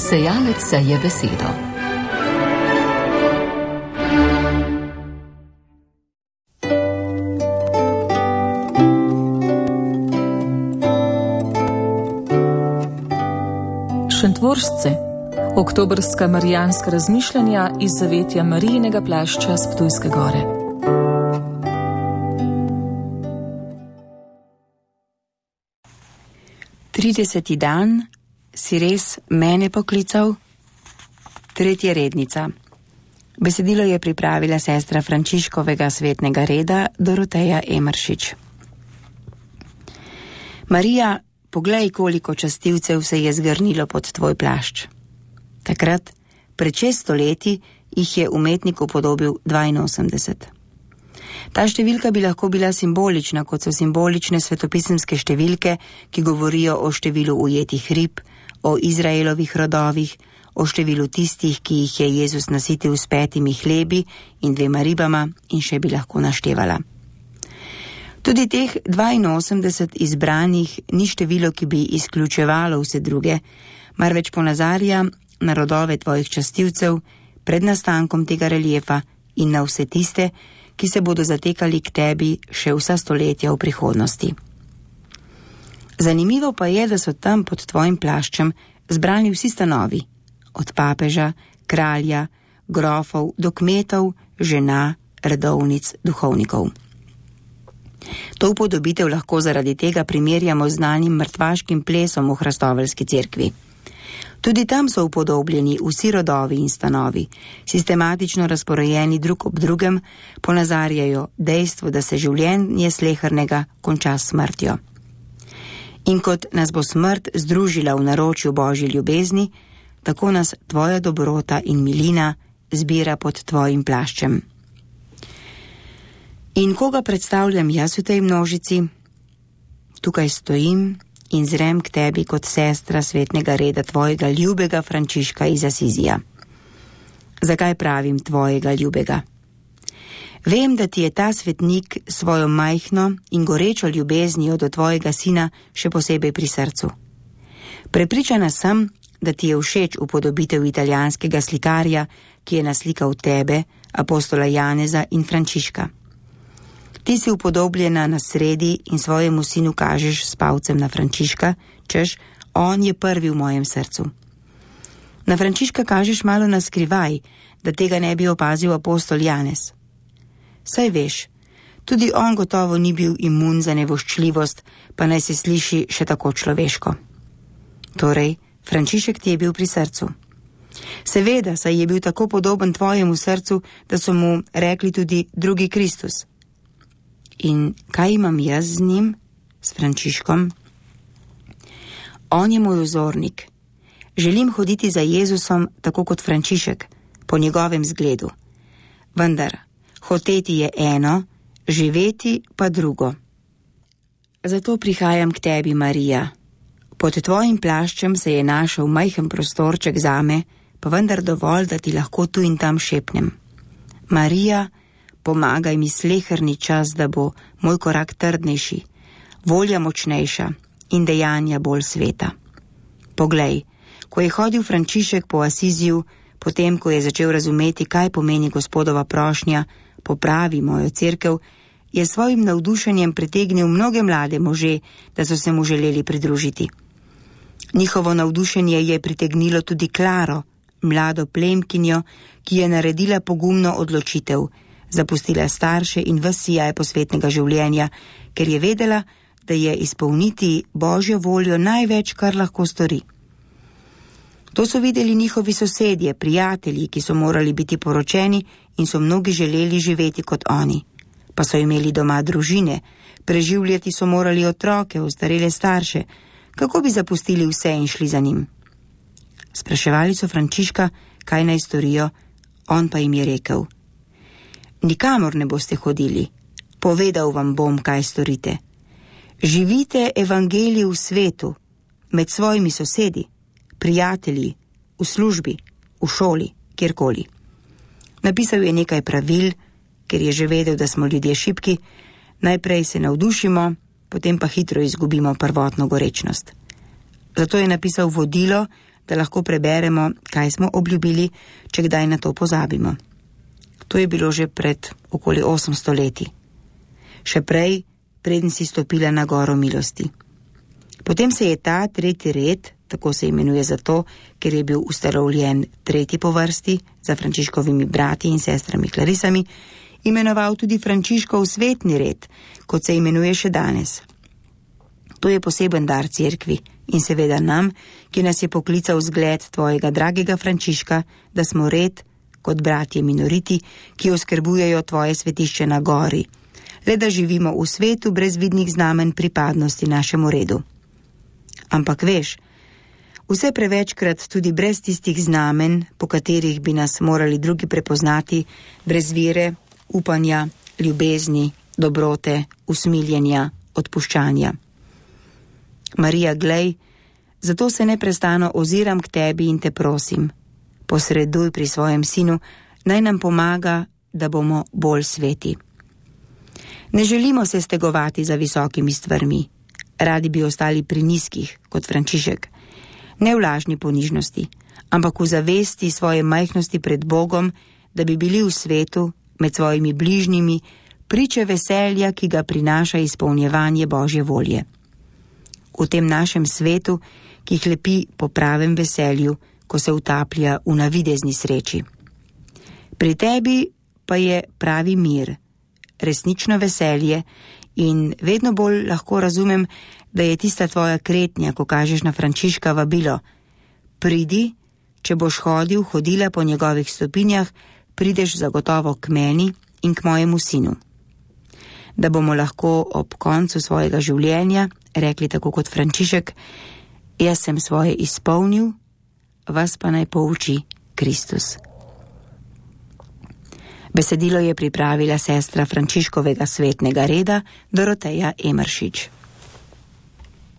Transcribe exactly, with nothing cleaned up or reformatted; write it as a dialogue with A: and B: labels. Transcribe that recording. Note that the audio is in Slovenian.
A: Sejalec seje besedo. Šentvoržce, oktobrska marijanska razmišljanja iz zavetja Marijinega plašča s Ptujske gore.
B: Trideseti dan, si res mene poklical? Tretja rednica. Besedilo je pripravila sestra Frančiškovega svetnega reda Doroteja Emeršič. Marija, poglej, koliko častilcev se je zgrnilo pod tvoj plašč. Takrat, pred šeststo leti, jih je umetnik upodobil dvainosemdeset. Ta številka bi lahko bila simbolična, kot so simbolične svetopisemske številke, ki govorijo o številu ujetih rib, o Izraelovih rodovih, o številu tistih, ki jih je Jezus nasitil s petimi hlebi in dvema ribama, in še bi lahko naštevala. Tudi teh dvainosemdeset izbranih ni število, ki bi izključevalo vse druge, marveč ponazarja na rodove tvojih častilcev pred nastankom tega reliefa in na vse tiste, ki se bodo zatekali k tebi še vsa stoletja v prihodnosti. Zanimivo pa je, da so tam pod tvojim plaščem zbrani vsi stanovi, od papeža, kralja, grofov do kmetov, žena, redovnic, duhovnikov. To upodobitev lahko zaradi tega primerjamo z znanim mrtvaškim plesom v hrastoveljski cerkvi. Tudi tam so upodobljeni vsi rodovi in stanovi, sistematično razporejeni drug ob drugem, ponazarjajo dejstvo, da se življenje slehernega konča s smrtjo. In kot nas bo smrt združila v naročju Božji ljubezni, tako nas tvoja dobrota in milina zbira pod tvojim plaščem. In koga predstavljam jaz v tej množici? Tukaj stojim in zrem k tebi kot sestra svetnega reda tvojega ljubega Frančiška iz Asizija. Zakaj pravim tvojega ljubega? Vem, da ti je ta svetnik svojo majhno in gorečo ljubeznijo do tvojega sina še posebej pri srcu. Prepričana sem, da ti je všeč upodobitev italijanskega slikarja, ki je naslikal tebe, apostola Janeza in Frančiška. Ti si upodobljena na sredi in svojemu sinu kažeš s palcem na Frančiška, češ, on je prvi v mojem srcu. Na Frančiška kažeš malo na skrivaj, da tega ne bi opazil apostol Janez. Saj veš, tudi on gotovo ni bil imun za nevoščljivost, pa naj se sliši še tako človeško. Torej, Frančišek ti je bil pri srcu. Seveda, saj je bil tako podoben tvojemu srcu, da so mu rekli tudi drugi Kristus. In kaj imam jaz z njim, s Frančiškom? On je moj vzornik. Želim hoditi za Jezusom tako kot Frančišek, po njegovem zgledu. Vendar, hoteti je eno, živeti pa drugo. Zato prihajam k tebi, Marija. Pod tvojim plaščem se je našel majhen prostorček zame, pa vendar dovolj, da ti lahko tu in tam šepnem. Marija, pomagaj mi sleherni čas, da bo moj korak trdnejši, volja močnejša in dejanja bolj sveta. Poglej, ko je hodil Frančišek po Asiziju, potem, ko je začel razumeti, kaj pomeni Gospodova prošnja, popravi mojo cerkev, je svojim navdušenjem pritegnil mnoge mlade može, da so se mu želeli pridružiti. Njihovo navdušenje je pritegnilo tudi Klaro, mlado plemkinjo, ki je naredila pogumno odločitev, zapustila starše in ves sijaj posvetnega življenja, ker je vedela, da je izpolniti Božjo voljo največ, kar lahko stori. To so videli njihovi sosedje, prijatelji, ki so morali biti poročeni in so mnogi želeli živeti kot oni. Pa so imeli doma družine, preživljati so morali otroke, ostarele starše, kako bi zapustili vse in šli za njim. Spraševali so Frančiška, kaj naj storijo, on pa jim je rekel: nikamor ne boste hodili, povedal vam bom, kaj storite. Živite evangelij v svetu, med svojimi sosedi, prijatelji, v službi, v šoli, kjerkoli. Napisal je nekaj pravil, ker je že vedel, da smo ljudje šibki, najprej se navdušimo, potem pa hitro izgubimo prvotno gorečnost. Zato je napisal vodilo, da lahko preberemo, kaj smo obljubili, če kdaj na to pozabimo. To je bilo že pred okoli osemsto leti. Še prej, preden si stopila na goro milosti. Potem se je ta tretji red, tako se imenuje zato, ker je bil ustanovljen tretji po vrsti za Frančiškovimi brati in sestrami Klarisami, imenoval tudi Frančiškov svetni red, kot se imenuje še danes. To je poseben dar cerkvi in seveda nam, ki nas je poklical zgled tvojega dragega Frančiška, da smo red kot bratje minoriti, ki oskrbujejo tvoje svetišče na gori, le da živimo v svetu brez vidnih znamen pripadnosti našemu redu. Ampak veš, vse prevečkrat tudi brez tistih znamen, po katerih bi nas morali drugi prepoznati, brez vere, upanja, ljubezni, dobrote, usmiljenja, odpuščanja. Marija, glej, zato se neprestano oziram k tebi in te prosim, posreduj pri svojem sinu, naj nam pomaga, da bomo bolj sveti. Ne želimo se stegovati za visokimi stvarmi, radi bi ostali pri nizkih, kot Frančišek, ne v lažni ponižnosti, ampak v zavesti svoje majhnosti pred Bogom, da bi bili v svetu, med svojimi bližnjimi, priče veselja, ki ga prinaša izpolnjevanje Božje volje. V tem našem svetu, ki hlepi po pravem veselju, ko se utaplja v navidezni sreči. Pri tebi pa je pravi mir, resnično veselje in vedno bolj lahko razumem, da je tista tvoja kretnja, ko kažeš na Frančiška vabilo. Pridi, če boš hodil, hodila po njegovih stopinjah, prideš zagotovo k meni in k mojemu sinu. Da bomo lahko ob koncu svojega življenja rekli tako kot Frančišek, jaz sem svoje izpolnil, vas pa naj pouči Kristus. Besedilo je pripravila sestra Frančiškovega svetnega reda Doroteja Emeršič.